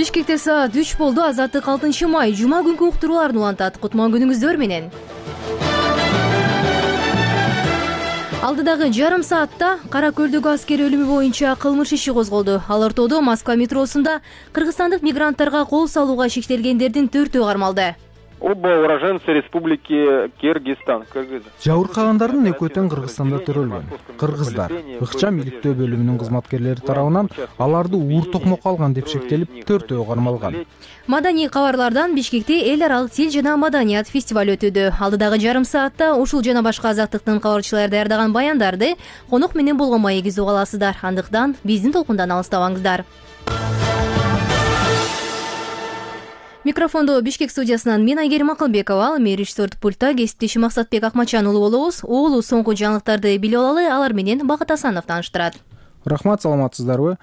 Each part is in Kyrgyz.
Бишкекте саат 3 болду. Азаттык 6 май жума күнкү уктурууларды улантат. Кутман күнүңүздөр менен. Алдыдагы жарым саатта Кара Көлдөгү аскер өлүмү боюнча кылмыш иши козголду. Ал ортодо Москва метросунда кыргызстандык мигранттарга кол салууга шектелгендердин 4-өө кармалды. Оба уроженцы Республики Кыргызстан. Жабыркагандардын экөө тең Кыргызстанда төрөлгөн. Кыргыздар ыкчам иликтөө бөлүмүнүн кызматкерлери тарабынан аларды уур токмокко алган деп шектелип 4-өө кармалган. Маданий кабарлардан Бишкекте эл аралык тил жана маданият фестиваль өтүүдө. Алдыдагы жарым саатта ушул жана башка азаттыктын кабарчылары даярдаган баяндарды конок менен болгон маегиз уга аласыздар. Андыктан биздин толкундан алыстабаңыздар. Микрофондо Бишкек студиясынан мен Айгерим Акылбекова, режиссер пультта кесиптешим Максатбек Акмачан уулу болобуз. Уулу соңку жаңылыктарды билип алалы, алар менен Бакыт Асанов тааныштырат. Рахмат, саламатсыздарбы?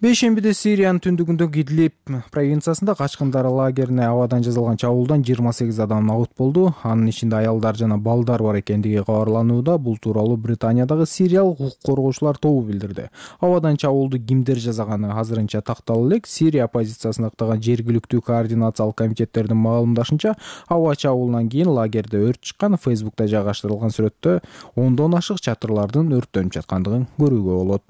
Бейшембиде Сириянын түндүгүндөгү Идлиб провинциясында качкындар лагерине абадан жасалган чабуулдан 28 адам набыт болду. Анын ичинде аялдар жана балдар бар экендиги кабарланууда. Бул тууралуу Британиядагы сириялык укук коргоочулар тобу билдирди. Абадан чабуулду кимдер жасаганы азырынча такталуу элек. Сирия оппозициясын актаган жергиликтүү координациялык комитеттердин маалымдашынча, аба чабуулунан кийин лагерде өрт чыккан. Фейсбукта жайгаштырылган сүрөттө ондон ашык чатырлардын өрттөнүп жаткандыгын көрүүгө болот.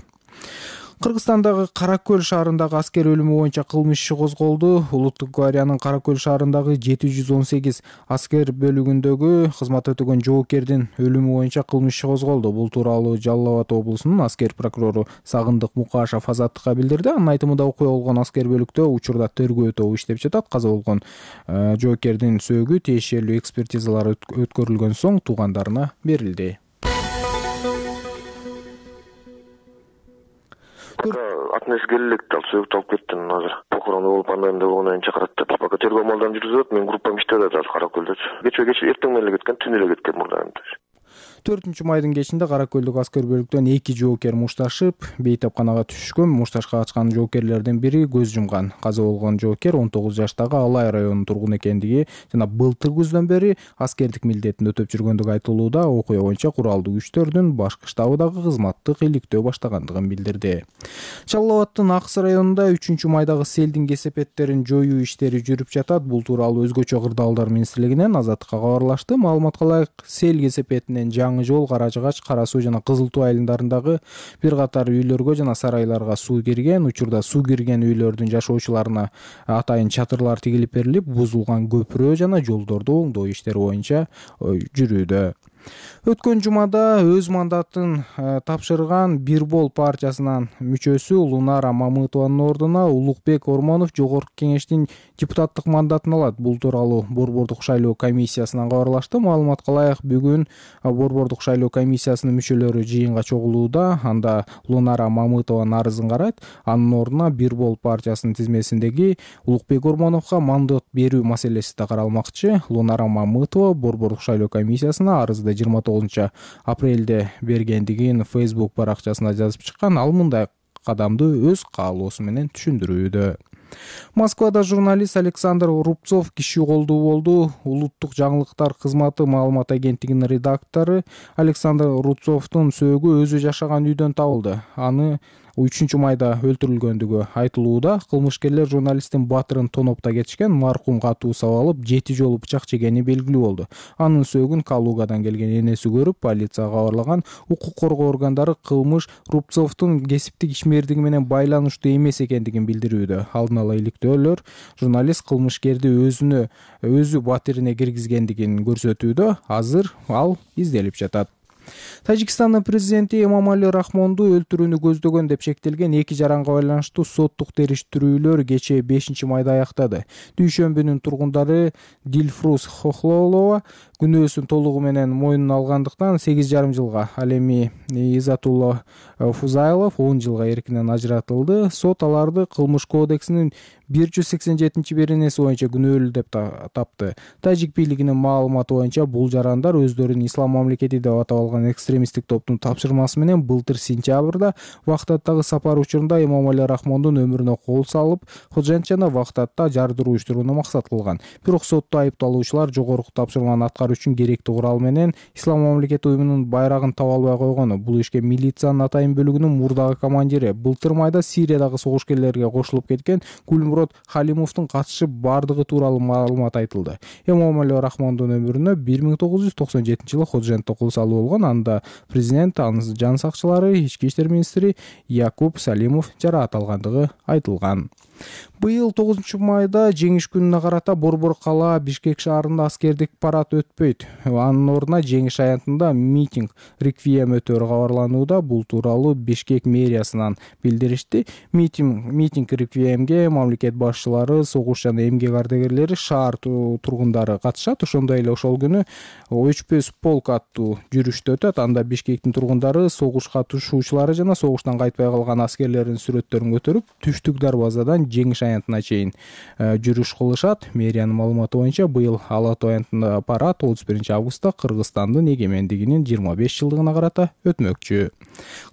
Кыргызстандагы Кара Көл шаарындагы аскер өлүмү боюнча кылмыш иши козголду. Улуттук гвардиянын Кара Көл шаарындагы 718 аскер бөлүгүндөгү кызмат өтөгөн жоокердин өлүмү боюнча кылмыш иши козголду. Бул тууралуу Жалал Абад облусунун аскер прокурору Сагындык Мукашев Азаттыкка билдирди. Анын айтымында окуя болгон аскер бөлүктө учурда тергөө тобу иштеп жатат. Каза болгон жоокердин сөөгү тиешелүү экспертизалар өткөрүлгөн соң туугандарына берилди. Атнес келелек ал сөөгүтү алып кеттим азыр. Похорону болуп андан да болгондон кийин чакырат деп. Пока тергөө амалдарын жүргүзүп атат. Менин группам иштеп атат азыр Кара Көлдө. Кече эртең менен эле кеткен, түн эле кеткен мурда. 4-майдын кечинде Кара Көлдөгү аскер бөлүктөн 2 жоокер мушташып бейтапканага түшкөн. Мушташка качкан жоокерлердин бири көз жумган. Каза болгон жоокер 19 жаштагы Алай районунун тургуну экендиги жана былтыр күздөн бери аскердик милдетин өтөп жүргөндүгү айтылууда. Окуя боюнча куралдуу күчтөрдүн башкы штабыдагы кызматтык иликтөө баштагандыгын билдирди. Жалал Абаддын Аксы районунда 3-майдагы селдин кесепеттерин жоюу иштери жүрүп жатат. Бул тууралуу өзгөчө кырдаалдар министрлигинен Азаттыкка кабарлашты. Маалыматка ылайык, сел кесепетинен жол, Кара Жыгач, Кара Суу жана Кызыл Туу айылдарындагы бир катар үйлөргө жана сарайларга суу кирген. Учурда суу кирген үйлөрдүн жашоочуларына атайын чатырлар тигилип берилип, бузулган көпүрө жана жолдорду оңдоо иштери боюнча жүрүүдө. Өткөн жумада өз мандатын тапшырган Бирбол партиясынын мүчөсү Лунара Мамытованын ордуна Улукбек Ормонов жогорку кеңештин депутаттык мандатын алат. Бул тууралуу Борбордук шайлоо комиссиясынан кабарлашты. Маалыматка ылайык, бүгүн Борбордук шайлоо комиссиясынын мүчөлөрү жыйынга чогулууда. Анда Лунара Мамытованын арызын карайт. Анын ордуна Бирбол партиясынын тизмесиндеги Улукбек Ормоновго мандат берүү маселеси да каралмакчы. Лунара Мамытова Борбордук шайлоо комиссиясына арызды 29 апрелде бергендигин Facebook баракчасына жазып чыккан. Ал мындай кадамды өз каалоосу менен түшүндүрүүдө. Москвада журналист Александр Рубцов киши колдуу болду. Улуттук жаңылыктар кызматы маалымат агенттигинин редактору Александр Рубцовдун сөөгү өзү жашаган үйдөн табылды. Аны 3-майда өлтүрүлгөндүгү айтылууда. Кылмышкерлер журналисттин батырын тонопто кетишкен. Маркум катуу сабалып 7 жолу бычак жегени белгилүү болду. Анын сөөгүн Калугадан келген энеси көрүп, полицияга кабарлаган. Укук коргоо органдары кылмыш Рубцовдун кесиптик ишмердиги менен байланыштуу эмес экендигин билдирүүдө. Алдын ала иликтөөлөр журналист кылмышкерди өзү батирине киргизгендигин көрсөтүүдө. Азыр ал изделип жатат. Тажикстандын президенти Эмомали Рахмонду өлтүрүүнү көздөгөн деп шектелген 2 жаранга байланыштуу соттук териштирүүлөр кечээ 5-майда аяктады. Дүйшөмбүнүн тургундары Дилфруз Хохлолова күнөөсүн толугу менен мойнуна алгандыктан 8,5 жылга, ал эми Изатулла Фузайлов 10 жылга эркинен ажыратылды. Сот аларды кылмыш кодексинин 187-беренеси боюнча күнөөлүү деп тапты. Тажик бийлигинин маалыматы боюнча бул жарандар өздөрүн ислам мамлекети деп атап курулган экстремисттик топтун тапшырмасы менен былтыр сентябрда Вахтаттагы сапар учурунда Эмомали Рахмондун өмүрүнө кол салып, Ходжантжаны Вахтатта жардыруу иштирүүнү максат кылган. Бирок сотто айыпталуучулар жогорку тапшырманы аткаруу үчүн керектүү курал менен Ислам мамлекети уюмунун байрагын таба албай койгону. Бул ишке милициянын атайын бөлүгүнүн мурдагы командири, былтыр майда Сириядагы согушкерлерге кошулуп кеткен Гулмурод Халимовдун катышып бардыгы тууралуу маалымат айтылды. Эмомали Рахмондун өмүрүнө 1997-жылы Ходжантта кол салуу болгон. Анда президент, анын жан сакчылары, ички иштер министри Якуб Салимов жараат алгандыгы айтылган. Быйыл 9 майда жеңиш күнүнө карата Борбор кала Бишкек шаарында аскердик парад өтпөйт. Анын ордуна жеңиш аянтында митинг реквием өтөрү кабарланууда. Бул тууралуу Бишкек мэриясынан билдиришти. Митинг реквиемге мамлекет башчылары, согуш жана эмгек ардагерлери, шаар тургундары катышат. Ошондой эле ошол күнү өчпөс полк аттуу жүрүштө өтөт. Анда Бишкектин тургундары согуш катышуучулары жана согуштан кайтпай калган аскерлердин сүрөттөрүн көтөрүп, Түштүк дарбазадан жеңиш аянтына чейин жүрүш кылышат. Мэриянын маалыматы боюнча быйыл Ала Тоо аянтында парад 31 августта Кыргызстандын эгемендигинин 25 жылдыгына карата өтмөкчү.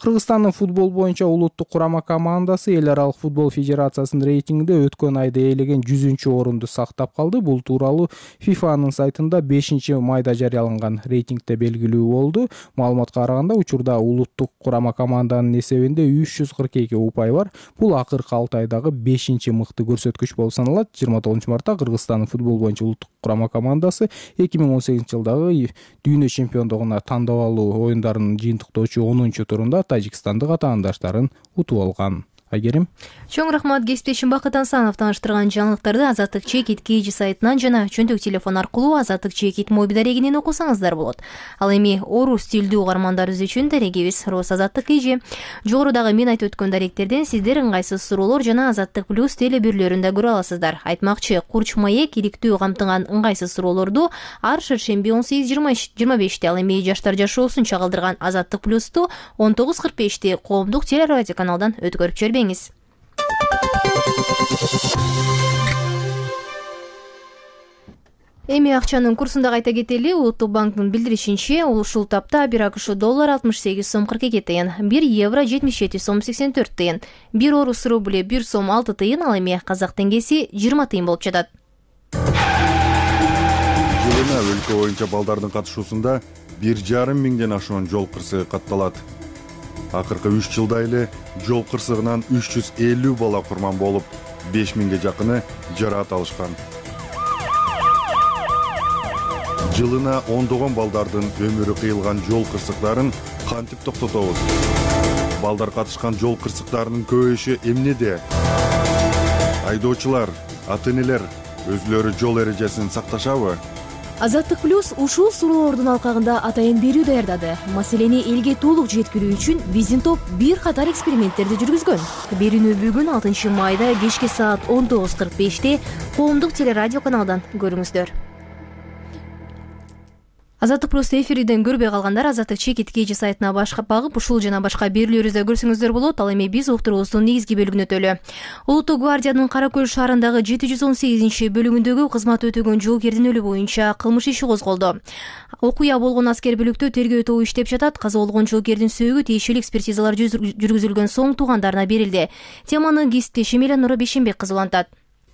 Кыргызстандын футбол боюнча улуттук курама командасы Эл аралык футбол федерациясынын рейтингинде өткөн айда ээлеген 100-орунду сактап калды. Бул тууралуу ФИФАнын сайтында 5 майда жарыяланган рейтингде белгилүү болду. Маалыматка караганда, учурда улуттук курама команданын эсебинде 342 упай бар. Бул акыркы 6 айдагы 5-мыкты көрсөткүч болуп саналат. 29 мартта Кыргызстандын футбол боюнча улуттук курама командасы 2018-жылдагы дүйнө чемпиондугуна тандап алуу оюндарынын жыйынтыктоочу 10-турунда тажикстандык атаандаштарын утуп алган. Айгерим. Чоң рахмат кесиптешим Бакыт Ансанов тааныштырган жаңылыктарды Азаттык Чекит KG сайтынан жана чөнтөк телефон аркылуу Азаттык Чекит мобил дарегинен окусаңыздар болот. Ал эми орус тилдүү угармандарыбыз үчүн дарегибиз Рус Азаттык KG. Жогорудагы мен айтып өткөн даректерден сиздер ыңгайсыз суроолор жана Азаттык Плюс теле берүүлөрүндө көрө аласыздар. Айтмакчы, Курч маек иликтүү камтыган ыңгайсыз суроолорду ар шаршемби 18:25-те, ал эми жаштар жашоосун чагылдырган Азаттык Плюсту 19:45-те коомдук теле радио каналдан өткөрүп жибербеңиз. Эми акчанын курсун да кайта кетели. Улуттук банктын билдиришинче, ушул тапта 1 АКШ доллар 68 сом 42 тыйын, 1 евро 77 сом 84 тыйын, 1 орус рубли 1 сом 6 тыйын, ал эми казак теңгеси 20 тыйын болуп жатат. Жылына өлкө боюнча балдардын катышуусунда 1,5 миңден ашуун жол кырсыгы катталат. Акыркы 3 жылда эле жол кырсыгынан 350 бала курман болуп, 5 миңге жакыны жараат алышкан. Жылына ондогон балдардын өмүрү кыйылган жол кырсыктарын кантип токтотобуз? Балдар катышкан жол кырсыктарынын көбөйүшү эмнеде? Айдоочулар, ата-энелер өзүлөрү жол эрежесин сакташабы? Азаттык Плюс ушул суроолордун алкагында атайын берүү даярдады. Маселени элге толук жеткирүү үчүн биздин топ бир катар эксперименттерди жүргүзгөн. Берүүнү бүгүн 6 майда кечки саат 19:45-те коомдук теле радио каналдан көрүңүздөр. Азаттык Плюс эфирден көрбөй калгандар Азаттык Чекит KG сайтына багып ушул жана башка берүүлөрүбүздү көрсөңүздөр болот. Ал эми биз уктуруубуздун негизги бөлүгүнө өтөлү. Улуттук гвардиянын Кара Көл шаарындагы 718 бөлүгүндөгү кызмат өтөгөн жоокердин өлүмү боюнча кылмыш иши козголду. Окуя болгон аскер бөлүктө тергөө тобу иштеп жатат. Каза болгон жоокердин сөөгү тиешелүү экспертизалар жүргүзүлгөн соң туугандарына берилди. Теманы кесиптешим Эленора Бейшенбек кызы улантат.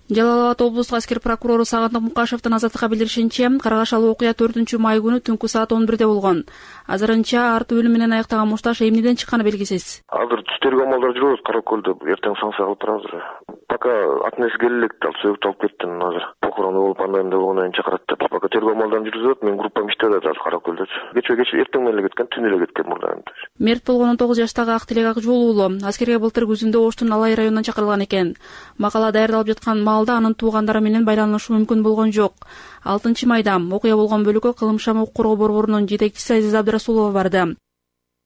Жалал Абад облустук аскер прокурору Сагындык Мукашевдин Азаттыкка билдиришинче, каргашалуу окуя 4 май күнү түнкү саат 11-де болгон. Азырынча арты өлүм менен аяктаган мушташ эмнеден чыкканы белгисиз. Азыр тергөө амалдары жүрөт Кара Көлдө. Эртең санкция кылып турабыз. Пока атнес келелек сөөгүп алып кеттим азыр. Похорону болуп андан болгондон чакырат деп. Пока тергөө амалдарын жүргүзөт. Мен группам иштеп атат Кара Көлдө. Кече эртең менен кеткен, түн эле кеткен мурда. Мерт болгон 19 жаштагы Актилек Акжол уулу аскерге былтыр күзүндө Оштун Алай районунан чакырылган экен. Макала даярдалып жаткан маалда анын туугандары менен байланышы мүмкүн болгон жок. 6 майда окуя болгон бөлүккө кылмыш укук коргоо борборунун жетекчиси Азиз Абдрасулова барды.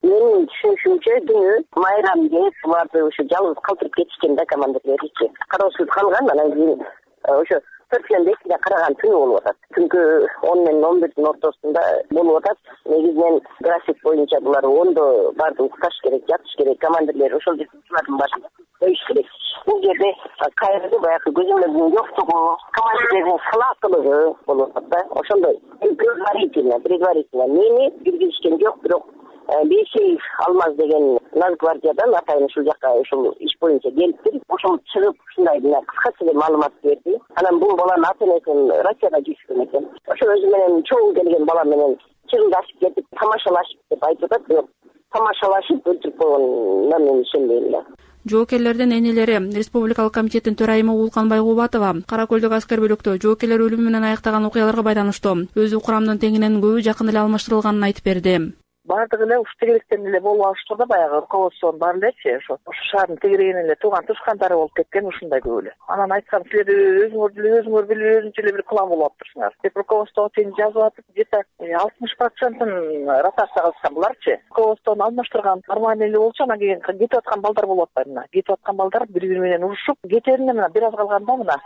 Менин түшүнүшүмчө түнү майрамге буларды ошо жалгыз калтырып кетишкен да командирлеричи. Кароосуз калган, анан кийин ошо 4-2-де караган түнү болуп атат. Түнкү 10 менен 11-дин ортосунда болуп атат. Негизинен график боюнча булар 10-до барды укташ керек, жатыш керек, командирлер ошол жактардын башында коюш керек. Бул жерде кайрылды баягы көзөмөлдүн жоктугу, командирлердин салааттуулугу болуп атат да. Ошондой предварительно мени киргизишкен жок, бирок Бейшеев Алмаз деген Нацгвардиядан атайын ушул жака ушул иш боюнча келиптир. Ошол чыгып ушундай кыскача эле маалымат берди. Анан бул баланын ата-энесин Россияда жүрүшкөн экен. Ошол өзү менен чогуу келген бала менен чыгылдашып кетип, тамашалашып деп айтып атат, бирок тамашалашып өлтүрүп койгонуна мен ишенбейм да. Жоокерлердин энелери Республикалык комитеттин төрайымы Улкан Байгубатова Кара Көлдөгү аскер бөлүктө жоокерлер өлүмү менен аяктаган окуяларга байланыштуу өзү курамдын теңинен көбү жакын эле алмаштырылганын айтып берди. Бардыгы эле ушу тегеректен эле болуп алыштыр да, баягы руководствонун баары элечи ошо шаардын тегерегинен эле тууган тушкандары болуп кеткен ушундай көп эле. Анан айткам, силер өзүңөр билип өзүнчө эле бир план болуп атыптырсыңар деп руководствого чейин жазып атып, где-то 60% ротация кылышкан буларчы. Руководствону алмаштырган нормальный эле болчу, анан кийин кетип аткан балдар болуп атпайбы мына. Кетип аткан балдар бири-бири менен урушуп, кетеринде мына бир аз калганда мына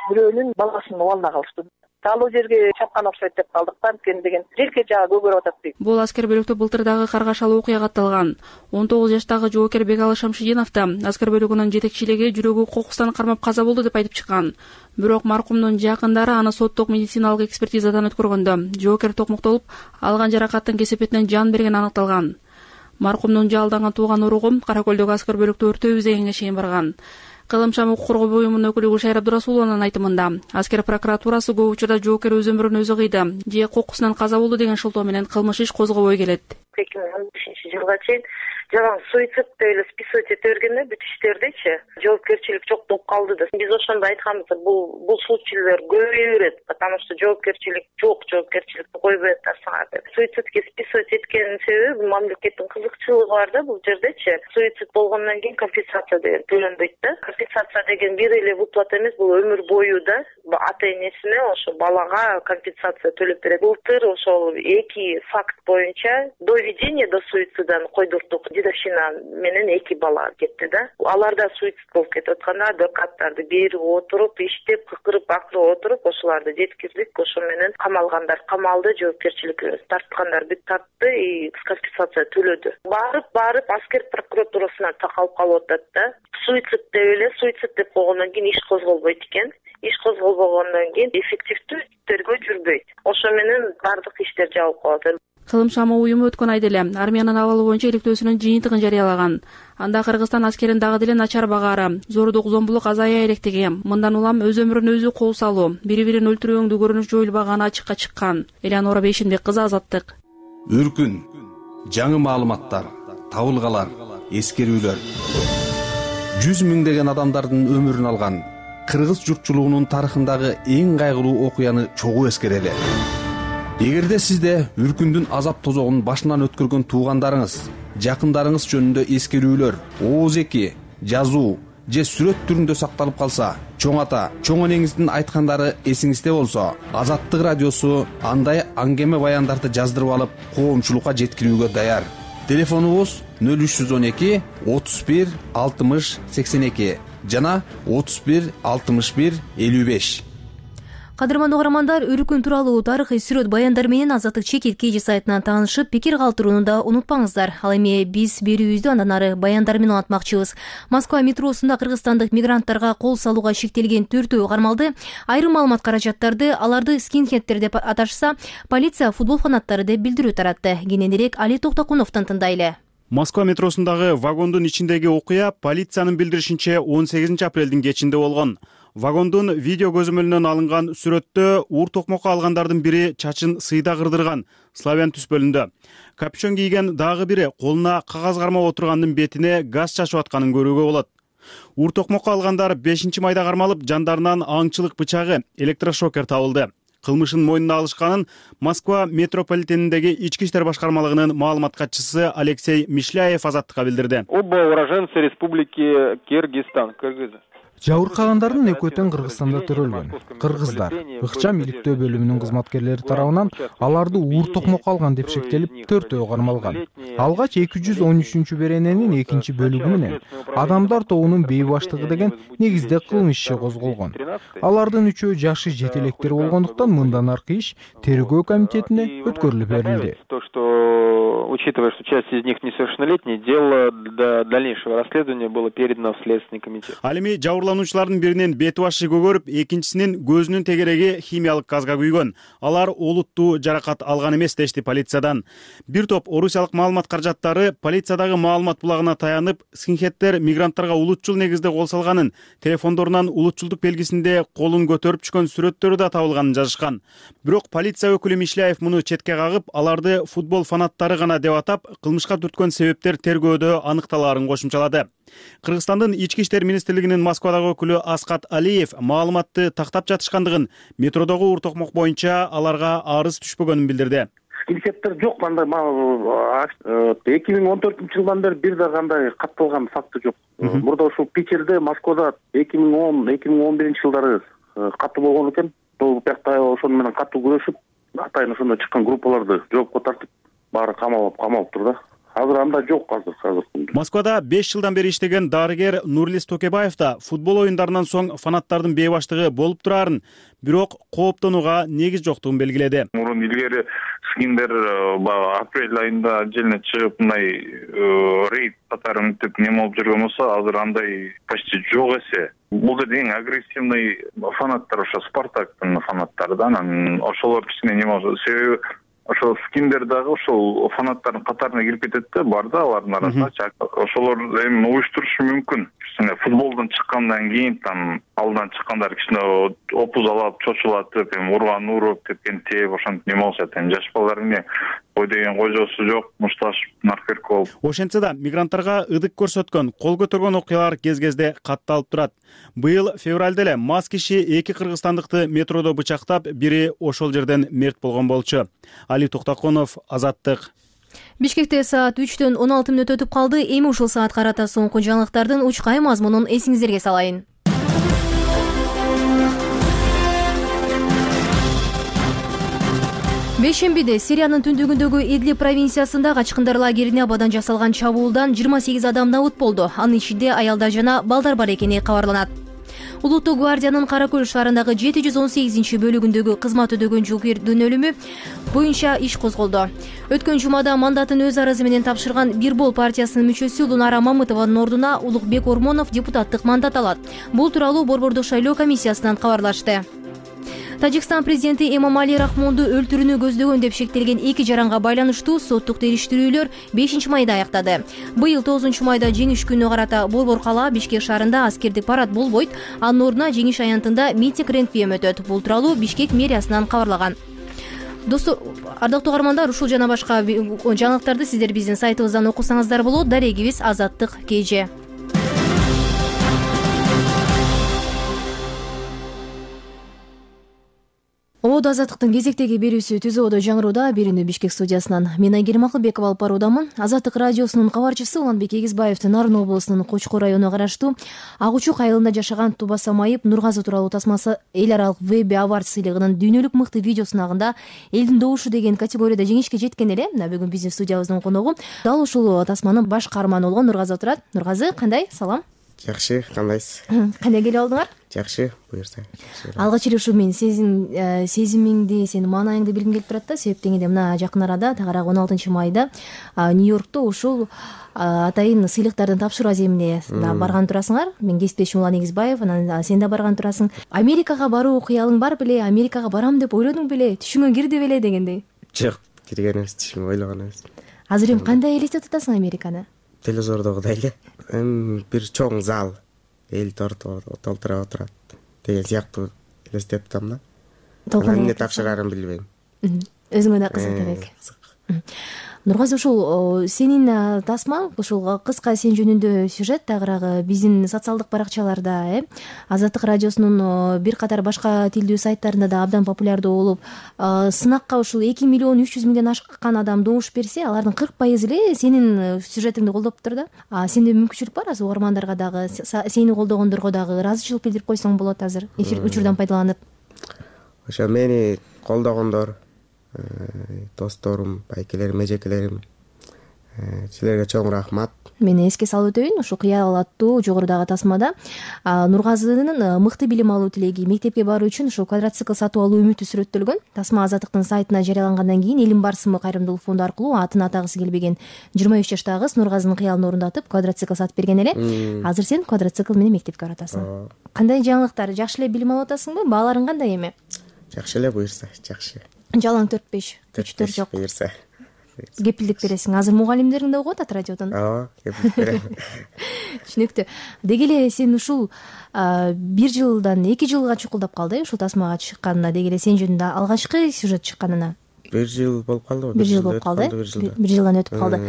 бирөөнүн баласынын убалына калышты. Талуу жерге чапкан окшойт деп калдыктан кен деген желке жагы көгөрүп атат дейт. Бул аскер бөлүктө былтыр дагы каргашалуу окуя катталган. 19 жаштагы жоокер Бекалы Шамшидинов да аскер бөлүгүнүн жетекчилиги жүрөгү кокустан кармап каза болду деп айтып чыккан. Бирок маркумдун жакындары аны соттук медициналык экспертизадан өткөргөндө жоокер токмуктолуп, алган жаракаттын кесепетинен жан бергени аныкталган. Маркумдун жалданган тууган уругу Кара Көлдөгү аскер бөлүктө өртөбүз дегенге чейин барган. Кылым шам укук коргоо буюмунун өкүлү Гүлшайыр Абдурасулованын айтымында, аскер прокуратурасы көп учурда жоокер өз өмүрүн өзү кыйды же кокусунан каза болду деген шылтоо менен кылмыш иш козгобой келет. 2015-жылга чейин жалаң суицид деп эле списывать эте бергенде бүт иштердичи жоопкерчилик жок болуп калды да. Биз ошондо айтканбыз, бул случайлар көбөйө берет, потому что жоопкерчилик жок, жоопкерчиликти койбой атасыңар деп. Суицидке списывать эткенин себеби мамлекеттин кызыкчылыгы бар да бул жердечи. Суицид болгондон кийин компенсация деген төлөнбөйт да. Компенсация деген бир эле выплата эмес, бул өмүр бою да. Ата-энесине ошо балага компенсация төлөп берет. Былтыр ошол 2 факт боюнча до ведения до суицида койдурдук. Дедовщина менен 2 бала кетти да. Аларда суицид болуп кетип атканда адвокаттарды берип отуруп, иштеп, кыкырып, акырып отуруп, ошоларды жеткиздик. Ошо менен камалгандар камалды, жоопкерчилик тарткандар бүт тартты и компенсация төлөдү. Барып аскер прокуратурасына такалып калып атат да. Суицид деп койгондон кийин иш козголбойт экен. Иш козголбогондон кийин эффективдүү тергөө жүрбөйт. Ошо менен бардык иштер жабылып калат. Кылым шамы уюму өткөн айда эле армиянын абалы боюнча иликтөөсүнүн жыйынтыгын жарыялаган. Анда Кыргызстан аскерин дагы деле начар багаары, зордук, зомбулук азая электиги, мындан улам өз өмүрүн өзү кол салуу, бири-бирин өлтүрүүңдү көрүнүш жоюлбаганы ачыкка чыккан. Элеонора Бейшимбек кызы, Азаттык. Үркүн, жаңы маалыматтар, табылгалар, эскерүүлөр. 100 миңдеген адамдардын өмүрүн алган кыргыз журтчулугунун тарыхындагы эң кайгылуу окуяны чогуу эскерели. Эгерде сизде үркүндүн азап тозогун башынан өткөргөн туугандарыңыз, жакындарыңыз жөнүндө эскерүүлөр, ооз-эки, жазуу же сүрөт түрүндө сакталып калса, чоң ата, чоң энеңиздин айткандары эсиңизде болсо, Азаттык радиосу андай аңгеме баяндарды жаздырып алып, коомчулукка жеткирүүгө даяр. Телефонубуз 0312 31 60 82 жана 31 61 55. Кадырман угармандар, үркүн тууралуу тарыхый сүрөт баяндар менен Азаттык чекит KG сайтынан таанышып, пикир калтырууну да унутпаңыздар. Ал эми биз берүүбүздү андан ары баяндар менен улантмакчыбыз. Москва метросунда кыргызстандык мигранттарга кол салууга шектелген 4 кармалды. Айрым маалымат каражаттарды аларды скинхедтер деп аташса, полиция футбол фанаттары деп билдирүү таратты. Кененирээк Али Токтокуновдон тындайлы. Москва метросундагы вагондун ичиндеги окуя полициянын билдиришинче 18 апрелдин кечинде болгон. Вагондун видео көзөмөлүнөн алынган сүрөттө ур токмокко алгандардын бири чачын сыйда кырдырган, славян түспөлүндө. Капюшон кийген дагы бири колуна кагаз кармап отургандын бетине газ чачып атканын көрүүгө болот. Ур токмокко алгандар 5-майда кармалып, жандарынан аңчылык бычагы, электрошокер табылды. Кылмышын мойнуна алышканын Москва метрополитениндеги ички иштер башкармалыгынын маалымат катчысы Алексей Мишляев Азаттыкка билдирди. Оба уроженцы республики Кыргызстан, кыргыз. Жабыркагандардын экөө тең Кыргызстанда төрөлгөн. Кыргыздар ыкчам иликтөө бөлүмүнүн кызматкерлери тарабынан аларды ур токмокко алган деп шектелип 4 кармалган. Алгач 213-берененин 2-бөлүгү менен адамдар тобунун бейбаштыгы деген негизде кылмыш иши козголгон. Алардын 3-өө жашы жетелектер болгондуктан мындан аркы иш тергөө комитетине өткөрүлүп берилди. То, что учитывая, что часть из них несовершеннолетние, дело до дальнейшего расследования было передано в Следственный комитет. Ал эми жабырлануучу жабырлануучулардын биринин бети башы көгөрүп, экинчисинин көзүнүн тегереги химиялык газга күйгөн. Алар олуттуу жаракат алган эмес дешти полициядан. Бир топ орусиялык маалымат каражаттары полициядагы маалымат булагына таянып, скинхеддер мигранттарга улутчул негизде кол салганын, телефондорунан улутчулдук белгисинде колун көтөрүп түшкөн сүрөттөрү да табылганын жазышкан. Бирок полиция өкүлү Мишляев муну четке кагып, аларды футбол фанаттары гана деп атап, кылмышка түрткөн себептер тергөөдө аныкталаарын кошумчалады. Кыргызстандын ички иштер министрлигинин Москвадагы өкүлү Аскат Алиев маалыматты тактап жатышкандыгын, метродогу ур токмок боюнча аларга арыз түшпөгөнүн билдирди. Скинхеддер жок, кандай 2014 жылдан бери бир да кандай катталган факты жок. Мурда ушул Питерде, Москвада 2010-2011 жылдары катуу болгон экен. Бул бакта ошону менен катуу күрөшүп, атайын ошондо чыккан группаларды жоопко тартып, баары камалыптыр да. Азыр анда жок азыр. Москвада 5 жылдан бери иштеген дарыгер Нурлис Токебаев да футбол оюндарынан соң фанаттардын бейбаштыгы болуп турарын, бирок кооптонууга негиз жоктугун белгиледи. Мурун илгери скиндер апрель айында желине чыгып, мындай рейд катары мынтип неме болуп жүргөн болсо, азыр андай почти жок эсе. Бул жерде эң агрессивный фанаттар ошо Спартактын фанаттары да, анан ошолор кичине неме болсо, себеби ошол скиндер дагы ошол фанаттардын катарына кирип кетет да, бар да алардын арасында. Ошолор эми уюштурушу мүмкүн. Кичине футболдон чыккандан кийин там алдан чыккандар кичине опузалап, чочулатып, эми урган уруп, тепкен теп, ошентип неме болушат. Эми жаш балдар эмне кой деген кожосу жок, мушташып, наркерк болуп. Ошентсе да мигранттарга ыдык көрсөткөн, кол көтөргөн окуялар кез-кезде катталып турат. Быйыл февралда эле мас киши 2 кыргызстандыкты метродо бычактап, бири ошол жерден мерт болгон болчу. Али Токтоконов, Азаттык. Бишкекте саат 3-төн 16 мүнөт өтүп калды. Эми ушул саат карата соңку жаңылыктардын учкай мазмунун эсиңиздерге салайын. Бейшембиде Сириянын түндүгүндөгү Идлиб провинциясында качкындар лагерине абадан жасалган чабуулдан 28 адам набыт болду. Анын ичинде аялдар жана балдар бар экени кабарланат. Улуттук гвардиянын Кара Көл шаарындагы 718-бөлүгүндөгү кызмат өдөгөн жоокердин өлүмү боюнча иш козголду. Өткөн жумада мандатын өз арызы менен тапшырган Бирбол партиясынын мүчөсү Лунара Мамытованын ордуна Улукбек Ормонов депутаттык мандат алат. Бул тууралуу Борбордук шайлоо комиссиясынан кабарлашты. Тажикстан президенти Эмомали Рахмонду өлтүрүүнү көздөгөн деп шектелген 2 жаранга байланыштуу соттук териштирүүлөр 5 майда аяктады. Быйыл 9 майда жеңиш күнү карата Борбор кала Бишкек шаарында аскердик парад болбойт, анын ордуна жеңиш аянтында митинг реквием өтөт. Бул тууралуу Бишкек мэриясынан кабарлаган. Достор, ардактуу угармандар, ушул жана башка жаңылыктарды сиздер биздин сайтыбыздан окусаңыздар болот. Дарегибиз Азаттык КЖ. Ободо Азаттыктын кезектеги берүүсү Түз ободо жаңырууда. Берүүнү Бишкек студиясынан мен Айгерим Акылбекова алып баруудамын. Азаттык радиосунун кабарчысы Уланбек Эгизбаевдин Нарын облусунун Кочкор районуна караштуу Ак Учук айылында жашаган Тубаса Майып Нургазы тууралуу тасмасы эл аралык веб авард сыйлыгынын дүйнөлүк мыкты видео сынагында элдин добушу деген категорияда жеңишке жеткен эле. Мына бүгүн биздин студиябыздын коногу дал ушул тасманын баш каарманы болгон Нургазы отурат. Нургазы, кандай? Салам. Жакшы, кандайсыз? Кандай келип алдыңар? Жакшы, буюрса. Алгач эле ушу мен сезимиңди, сенин маанайыңды билгим келип турат да. Себеп дегенде мына жакын арада тагыраак 16 майда Нью-Йоркто ушул атайын сыйлыктардын тапшыруу аземине барган турасыңар. Мен кесиптешим Улан Эгизбаев, анан сен да барган турасың. Америкага баруу кыялың бар беле? Америкага барам деп ойлодуң беле? Түшүңө кирди беле дегендей? Жок, кирген эмес, түшүмө ойлогон эмес. Азыр эми кандай элестетип атасың Американы? Телевизордогудай эле. Бир чоң зал, эл толтура отурат деген сыяктуу элестетип атам да. Эмне тапшырарын билбейм. Өзүңө да кызык элек. Нургазы, ушул сенин тасмаң, ушул кыска сен жөнүндө сюжет тагыраагы биздин социалдык баракчаларда, Азаттык радиосунун бир катар башка тилдүү сайттарында да абдан популярдуу болуп, сынакка ушул 2 миллион 300 миңден ашкан адам добуш берсе, алардын 40% эле сенин сюжетиңди колдоптур да. Сенде мүмкүнчүлүк бар азыр угармандарга дагы, сени колдогондорго дагы ыраазычылык билдирип койсоң болот азыр эфир учурдан пайдаланып. Ошо мени колдогондор, досторум, байкелерим, эжекелерим, Силерге чоң рахмат. Мен эске салып өтөйүн, ушу кыял аттуу жогорудагы тасмада Нургазынын мыкты билим алуу тилеги, мектепке баруу үчүн ушул квадроцикл сатып алуу үмүтү сүрөттөлгөн. Тасма Азаттыктын сайтына жарыялангандан кийин Элим бар сымы кайрымдуулук фонду аркылуу атын атагысы келбеген 23 жаштагы кыз Нургазынын кыялын орундатып квадроцикл сатып берген эле. Азыр сен квадроцикл менен мектепке баратасың. Кандай жаңылыктар? Жакшы эле билим алып атасыңбы? Бааларың кандай эми? Жакшы эле, буюрса, жакшы. Жалаң 4-5 күчтөр жок. Буюрса. Кепилдик бересиң. Азыр мугалимдериң да угуп атат радиодон. Ооба, кепилдик берем. Түшүнүктүү. Деги эле сен ушул 1 жылдан 2 жылга чукулдап калды, ушул тасмага чыкканына. Деги эле сен жөнүндө алгачкы сюжет чыкканына 1 жыл болуп калды. 1 жыл болуп калды. 1 жылдан өтүп калды.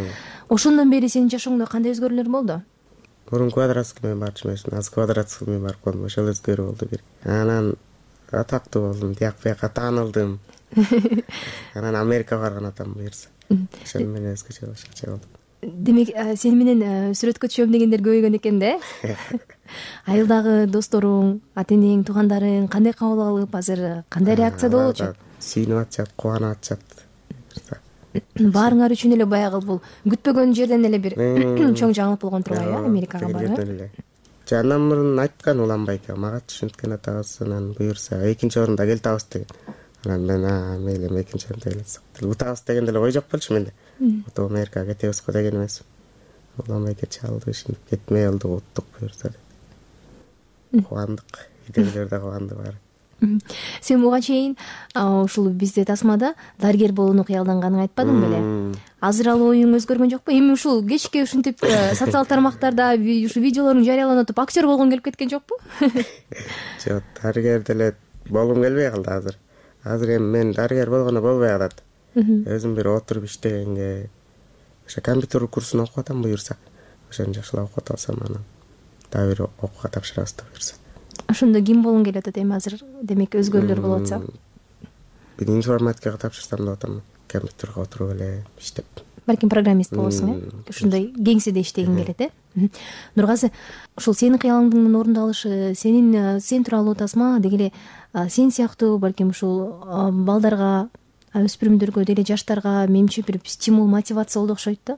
Ошондон бери сенин жашооңдо кандай өзгөрүүлөр болду? Мурун квадроцикл менен барчу эмесмин, азыр квадроцикл менен барып калдым. Ошол өзгөрүү болду бир. Анан атактуу болдум, тияк бияка таанылдым. Анан Америкага барган атам буюрса. Ошол менен өзгөчө болду. Демек, сени менен сүрөткө түшөм дегендер көбөйгөн экен да? Айылдагы досторуң, ата энең, туугандарың кандай кабыл алып, азыр кандай реакцияда болчу? Сүйүнүп атышат, кубанып атышат. Баарыңар үчүн эле баягы бул күтпөгөн жерден эле бир чоң жаңылык болгон турбайбы, Америкага барып? Андан мурун айткан Уланбайга, мага түшүнткөн атабыз, анан буюрса экинчи орунда келтабыз деген. Анан мен мейли экинчи орунда келсек. Утабыз деген деле ой жок болчу менде. Ото Америкага кетебиз го деген эмес. Уланбай кетчи алды, ушинтип кетмей алды, уттук буюрса. Кубандык, идейлер да кубанды баары. Сен буга чейин ушул бизде тасмада дарыгер болууну кыялданганын айтпадың беле? Азыр ал оюң өзгөргөн жокпу? Эми ушул кечке ушинтип социалдык тармактарда ушу видеолоруң жарыяланып атып актер болгоң келип кеткен жокпу? Жок, дарыгер деле болгум келбей калды азыр. Азыр эми мен дарыгер болгоно болбой калат. Өзүм бир отуруп иштегенге ошо компьютер курсун окуп атам буюрса. Ошону жакшылап окуп алсам анан дагы бир окууга тапшырабыз да буюрса. Ошондо ким болгуң келип атат эми азыр? Демек өзгөрүүлөр болуп атса? Бир информатикага тапшырсам деп атам. Компьютерге отуруп эле иштеп. Балким программист болосуң, ушундай кеңседе иштегиң келет, Нургазы, ушул сенин кыялыңдын орундалышы, сен тууралуу тасма деги эле сен сыяктуу балким ушул балдарга, өспүрүмдөргө, деле жаштарга менимче бир стимул, мотивация болду окшойт да.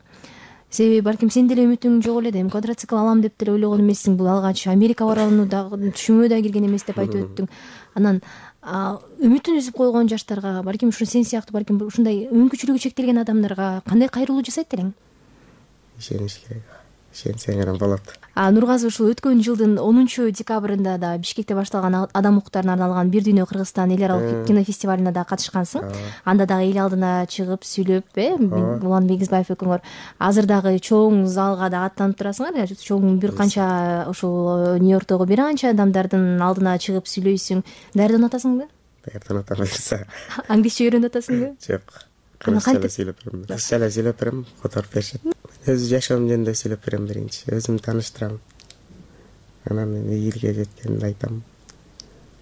Себеби балким сен деле үмүтүң жок эле, квадроцикл алам деп деле ойлогон эмессиң. Бул алгач Америка барууну дагы түшүмө да кирген эмес деп айтып өттүң. Анан үмүтүн үзүп койгон жаштарга, балким ушу сен сыяктуу балким ушундай мүмкүнчүлүгү чектелген адамдарга кандай кайрылуу жасайт элең? Ишениш керек. Ишенсең анан болот. Нургазы, ушул өткөн жылдын 10 декабрында да Бишкекте башталган адам укуктарына арналган Бир дүйнө Кыргызстан эл аралык кинофестивалына да катышкансың. Анда дагы эл алдына чыгып сүйлөп, Улан Бегизбаев экөөңөр азыр дагы чоң залга да аттанып турасыңар. Чоң бир канча ушул Нью-Йорктогу бир канча адамдардын алдына чыгып сүйлөйсүң. Даярданып атасыңбы? Даярданып атам. Англисче үйрөнүп атасыңбы? Жок. Кыргызча эле сүйлөп берем. Кыргызча эле сүйлөп берем, которуп беришет. Өз жашоом жөнүндө сүйлөп берем биринчи. Өзүмдү тааныштырам. Анан элге жеткенди айтам.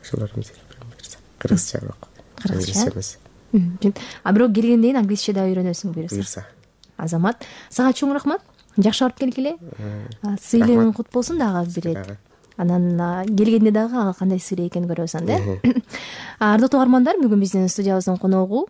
Ошолорду сүйлөп берем буюрса. Кыргызча бирок. Кыргызча эмес. Бирок келгенден кийин англисче да үйрөнөсүң буюрса. Азамат, сага чоң рахмат. Жакшы барып келгиле. Сыйлыгың кут болсун дагы бир ирет. Анан келгенде дагы кандай сыйлы экенин көрөбүз анда. Ардактуу угармандар, бүгүн биздин студиябыздын коногу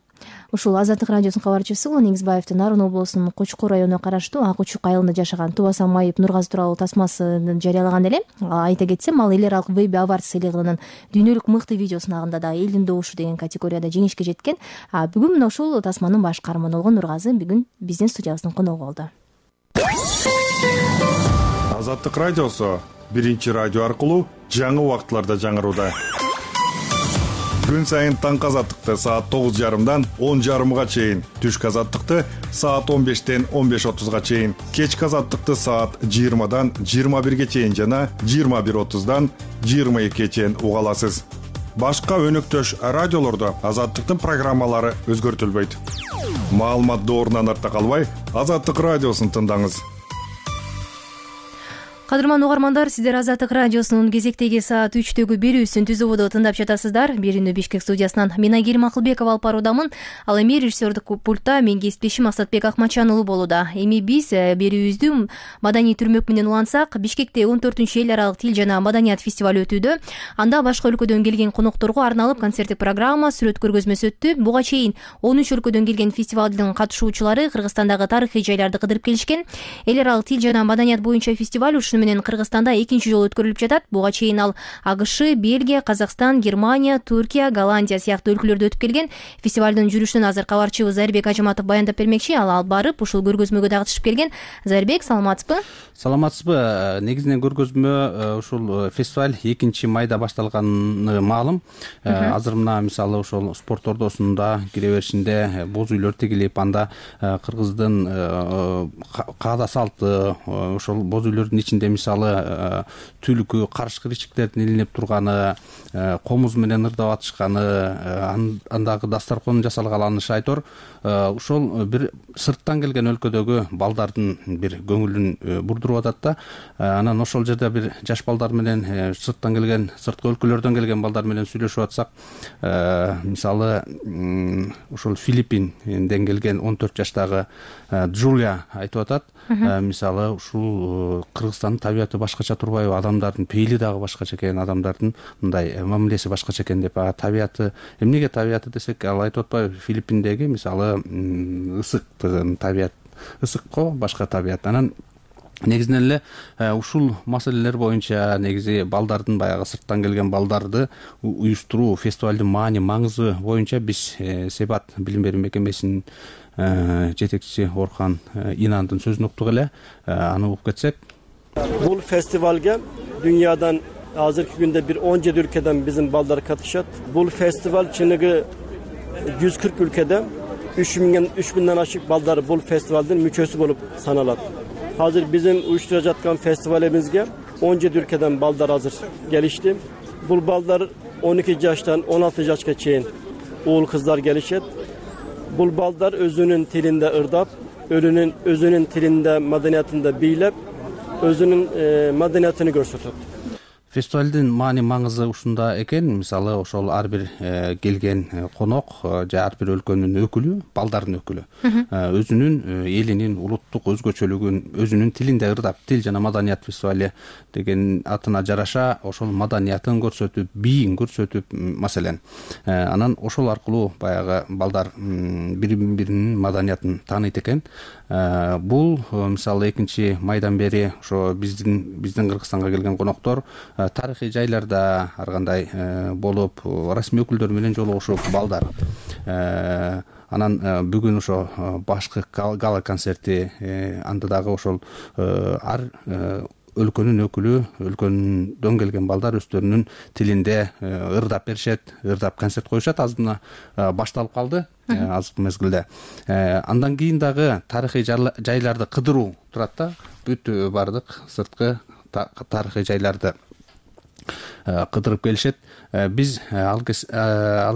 ушул Азаттык радиосунун кабарчысы Улан Бегизбаевдин Нарын облусунун Кочкор районуна караштуу Ак Учук айылында жашаган Тубаса Майып Нургазы тууралуу тасмасын жарыялаган эле. Айта кетсем, ал эл аралык Веби Авард сыйлыгынын дүйнөлүк мыкты видео сынагында да элдин добушу деген категорияда жеңишке жеткен. Бүгүн мына ушул тасманын баш каарманы болгон Нургазы бүгүн биздин студиябыздын коногу болду. Азаттык радиосу биринчи радио аркылуу жаңы убактыларда жаңырууда. Күн сайын таңкы азаттыкты саат 9:30дан 10:30га чейин, түшкү азаттыкты саат 15-тен 15:30га чейин, кечки азаттыкты саат 20-дан 21-ге чейин жана 21:30дан 22-ге чейин уга аласыз. Башка өнөктөш радиолордо азаттыктын программалары өзгөртүлбөйт. Маалымат доорунан артта калбай, Азаттык радиосун тыңдаңыз. Кадырман угармандар, сиздер Азаттык радиосунун кезектеги саат 3төгү берүүсүн түзүүбүдө тыңдап жатасыздар. Берүүнү Бишкек студиясынан мен Айгерим Акылбекова алып баруудамын. Ал эми режиссердик пультта мен кесиптешим Асатбек Акмачан уулу болууда. Эми биз берүүбүздү маданий түрмөк менен улантсак, Бишкекте 14-эл аралык тил жана маданият фестиваль өтүүдө. Анда башка өлкөдөн келген конокторго арналып концерттик программа, сүрөт көргөзмөсү өттү. Буга чейин 13 өлкөдөн келген фестивалдын катышуучулары Кыргызстандагы тарыхый жайларды кыдырып келишкен. Эл аралык тил жана маданият боюнча фестиваль менен Кыргызстанда экинчи жолу өткөрүлүп жатат. Буга чейин ал АКШ, Бельгия, Казакстан, Германия, Түркия, Голландия сыяктуу өлкөлөрдө өтүп келген. Фестивалдын жүрүшүнөн азыр кабарчыбыз Зарбек Ажыматов баяндап бермекчи. Ал барып ушул көргөзмөгө дагы катышып келген. Зарбек, саламатсызбы? Саламатсызбы. Негизинен көргөзмө ушул фестиваль 2 майда башталганы маалым. Азыр мына мисалы ошол спорт ордосунда кире беришинде боз үйлөр тигилип, анда кыргыздын каада салты, ошол боз үйлөрдүн ичинде мисалы түлкү, карышкы ичиктердин илинип турганы, комуз менен ырдап атышканы, андагы дастаркон жасалганы шайтор. Ошол бир сырттан келген өлкөдөгү балдардын бир көңүлүн бурдуруп атат да. Анан ошол жерде бир жаш балдар менен сырттан келген, сырткы өлкөлөрдөн келген балдар менен сүйлөшүп атсак, мисалы ошол Филиппинден келген 14 жаштагы Джулия айтып атат. Мисалы ушул Кыргызстандын табияты башкача турбайбы, адамдардын пейили дагы башкача экен, адамдардын мындай мамилеси башкача экен деп. Табияты, эмнеге табияты десек, ал айтып атпайбы, Филиппиндеги мисалы ысык табият, ысык го башка табият. Анан негизинен эле ушул маселелер боюнча негизи балдардын, баягы сырттан келген балдарды уюштуруу, фестивалдын маани маңызы боюнча биз Себат билим берүү мекемесинин жетекчиси Орхан Инандын сөзүн уктук эле. Аны угуп кетсек. Бул фестивалга дүйнөдөн азыркы күндө бир 17 өлкөдөн биздин балдар катышат. Бул фестиваль чыныгы 140 өлкөдө 3000ден ашык балдар бул фестивалдын мүчөсү болуп саналат. Азыр биздин уюштуруп жаткан фестивалыбызга 17 өлкөдөн балдар азыр келишти. Бул балдар 12 жаштан 16 жашка чейин уул кыздар келишет. Бул балдар өзүнүн тилинде ырдап, өзүнүн тилинде, маданиятында бийлеп, өзүнүн маданиятын көрсөтөт. Фестивалдын маани маңызы ушунда экен. Мисалы ошол ар бир келген конок же ар бир өлкөнүн өкүлү, балдардын өкүлү өзүнүн элинин улуттук өзгөчөлүгүн өзүнүн тилинде ырдап, тил жана маданият фестивали деген атына жараша ошол маданиятын көрсөтүп, бийин көрсөтүп, маселен, анан ошол аркылуу баягы балдар бири-биринин маданиятын тааныйт экен. Бул мисалы 2 майдан бери ошо биздин Кыргызстанга келген коноктор тарыхый жайларда ар кандай болуп, расмий өкүлдөр менен жолугушуп балдар. Анан бүгүн ошо башкы гала концерти, анда дагы ошол ар өлкөнүн өкүлү, өлкөдөн келген балдар өздөрүнүн тилинде ырдап беришет, ырдап концерт коюшат. Азырына башталып калды азыркы мезгилде. Андан кийин дагы тарыхый жайларды кыдыруу турат да. Бүт бардык сырткы тарыхый жайларды кыдырып келишет. Биз ал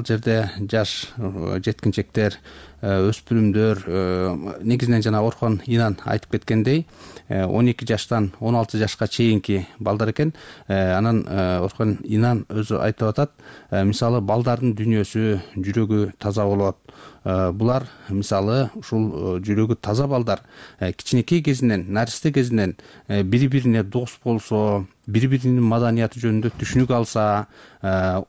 жерде жаш жеткинчектер, өспүрүмдөр, негизинен жана Орхон Инан айтып кеткендей 12 жаштан 16 жашка чейинки балдар экен. Анан Орхон Инан өзү айтып атат, мисалы балдардын дүйнөсү, жүрөгү таза болот. Булар мисалы ушул жүрөгү таза балдар кичинекей кезинен, наристе кезинен бири-бирине дос болсо, бири-биринин маданияты жөнүндө түшүнүк алса,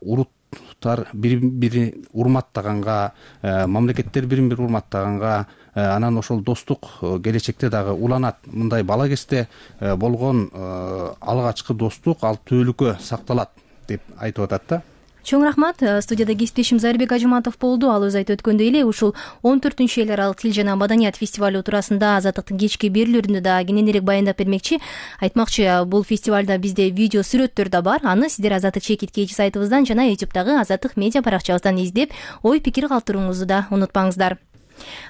уруттар бири-бирин урматтаганга, мамлекеттер бири-бири урматтаганга, анан ошол достук келечекте дагы уланат. Мындай бала кезде болгон алгачкы достук ал түбөлүккө сакталат деп айтып атат да. Чоң рахмат. Студияда кесиптешим Зарбек Ажыматов болду. Ал өзү айтып өткөндөй эле ушул 14-эл аралык тил жана маданият фестивалю туурасында Азаттыктын кечки берүүлөрүндө да кененирээк баяндап бермекчи. Айтмакчы, бул фестивалда бизде видео сүрөттөр да бар. Аны сиздер Азаттык чекиткечи сайтыбыздан жана YouTube'дагы Азаттык медиа баракчабыздан издеп, ой пикир калтырууңузду да унутпаңыздар.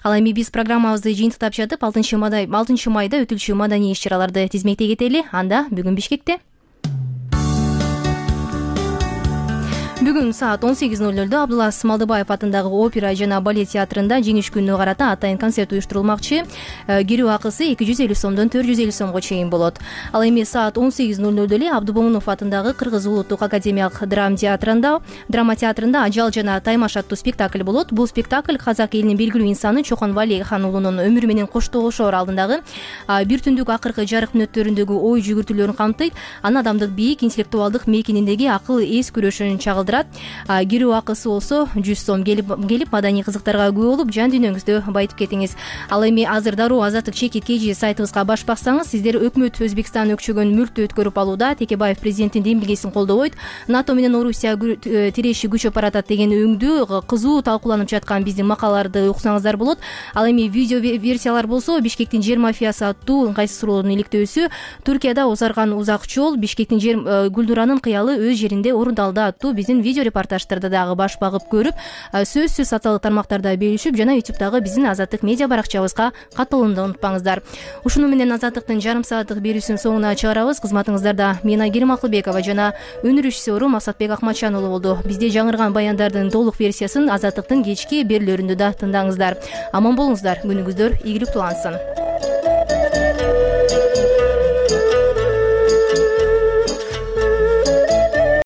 Ал эми биз программабызды жыйынтыктап жатып, 6 майда өтүлчү маданий иш-чараларды тизмектей кетели. Анда бүгүн Бишкекте Бүгүн саат 18:00 Абдулас Малдыбаев атындагы опера жана балет театрында жеңиш күнүнө карата атайын концерт уюштурулмакчы. Кирүү акысы 250 сомдон 450 сомго чейин болот. Ал эми саат 18:00 эле Абдубомунов атындагы Кыргыз улуттук академиялык драма театрында Ажал жана Таймаш аттуу спектакль болот. Бул спектакль казак элинин белгилүү инсаны Чохон Валихан уулунун өмүрү менен коштошоор алдындагы бир түндүк акыркы жарык мүнөттөрүндөгү ой жүгүртүүлөрүн камтыйт. Анын адамдык бийик интеллектуалдык мейкининдеги акыл эс күрөшүн чагылдырат. Кирүү акысы болсо 100 сом. Келип маданий кызыктарга күбө болуп жан дүйнөңүздү байытып кетиңиз. Ал эми азыр дароо Азаттык чекит KG сайтыбызга баш баксаңыз, сиздер өкмөт Өзбекстан өкчөгөн мүлктү өткөрүп алууда. Текебаев президенттин демилгесин колдобойт. НАТО менен Орусия тиреши күчөп баратат деген өңдүү кызуу талкууланып жаткан биздин макалаларды уксаңыздар болот. Ал эми видео версиялар болсо Бишкектин жер мафиясы аттуу ыңгайсыз суроонун иликтөөсү, Туркияда узарган узак жол, Бишкектин жер Гүлдуранын кыялы өз жеринде орундалды аттуу биздин видео репортаждарды дагы баш багып көрүп, сөзсүз социалдык тармактарда бөлүшүп жана YouTube'дагы биздин Азаттык медиа баракчабызга катталууну унутпаңыздар. Ушуну менен Азаттыктын жарым сааттык берүүсүнүн соңуна чыгарабыз. Кызматыңыздарда мен Айгерим Акылбекова жана өнөр режиссеру Масатбек Акматчан уулу болду. Бизде жаңырган баяндардын толук версиясын Азаттыктын кечки берүүлөрүндө да тыңдаңыздар. Аман болуңуздар, күнүңүздөр ийгиликтүү улансын.